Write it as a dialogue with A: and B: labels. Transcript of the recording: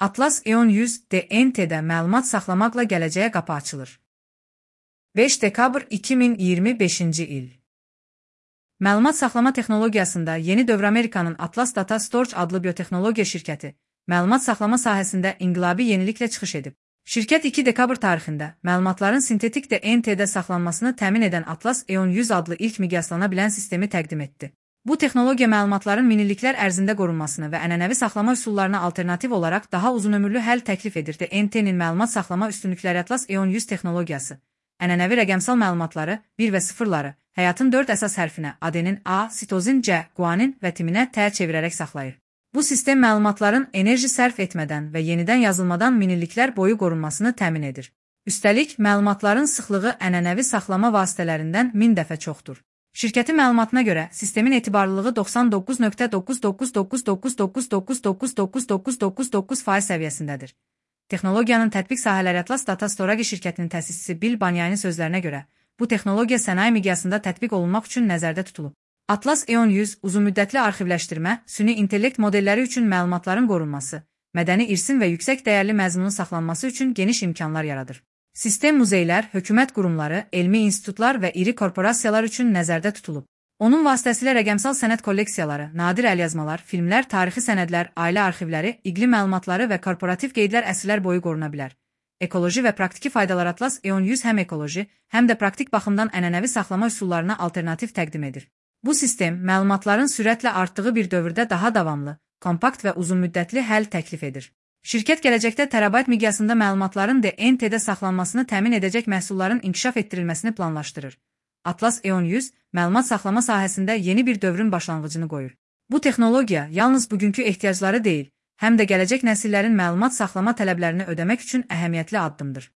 A: Atlas EON 100 DNT-də məlumat saxlamaqla gələcəyə qapı açılır. 5 dekabr 2025-ci il. Məlumat saxlama texnologiyasında yeni dövr Amerikanın Atlas Data Storage adlı biotexnologiya şirkəti məlumat saxlama sahəsində inqilabi yeniliklə çıxış edib. Şirkət 2 dekabr tarixində məlumatların sintetik DNT-də saxlanmasını təmin edən Atlas EON 100 adlı ilk miqyaslana bilən sistemi təqdim etdi. Bu texnologiya məlumatların minilliklər ərzində qorunmasını və ənənəvi saxlama üsullarına alternativ olaraq daha uzunömürlü həll təklif edir. DNT-nin məlumat saxlama üstünlükləri Atlas EON 100 texnologiyası ənənəvi rəqəmsal məlumatları 1 və 0-ları həyatın 4 əsas hərfinə adenin, A, sitozin, C, guanin və timinə T çevirərək saxlayır. Bu sistem məlumatların enerji sərf etmədən və yenidən yazılmadan minilliklər boyu qorunmasını təmin edir. Üstəlik, məlumatların sıxlığı ənənəvi saxlama vasitələrindən 1000 dəfə çoxdur. Şirkətin məlumatına görə, sistemin etibarlılığı 99.99999999999% səviyyəsindədir. Texnologiyanın tətbiq sahələri Atlas Data Storage şirkətinin təsisçisi Bill Banyanın sözlərinə görə, bu texnologiya sənaye miqyasında tətbiq olunmaq üçün nəzərdə tutulub. Atlas EON 100 uzunmüddətli arxivləşdirmə, süni intellekt modelləri üçün məlumatların qorunması, mədəni irsin və yüksək dəyərli məzmunun saxlanması üçün geniş imkanlar yaradır. Sistem muzeylər, hökumət qurumları, elmi institutlar və iri korporasiyalar üçün nəzərdə tutulub. Onun vasitəsilə rəqəmsal sənəd kolleksiyaları, nadir əlyazmalar, filmlər, tarixi sənədlər, ailə arxivləri, iqlim məlumatları və korporativ qeydlər əsrlər boyu qoruna bilər. Ekoloji və praktiki faydalar Atlas EON 100 həm ekoloji, həm də praktik baxımdan ənənəvi saxlama üsullarına alternativ təqdim edir. Bu sistem, məlumatların sürətlə artdığı bir dövrdə daha davamlı, kompakt və uzunmüddətli həll təklif edir. Şirkət gələcəkdə terabayt miqyasında məlumatların DNT-də saxlanmasını təmin edəcək məhsulların inkişaf etdirilməsini planlaşdırır. Atlas EON 100 məlumat saxlama sahəsində yeni bir dövrün başlanğıcını qoyur. Bu texnologiya yalnız bugünkü ehtiyacları deyil, həm də gələcək nəsillərin məlumat saxlama tələblərini ödəmək üçün əhəmiyyətli addımdır.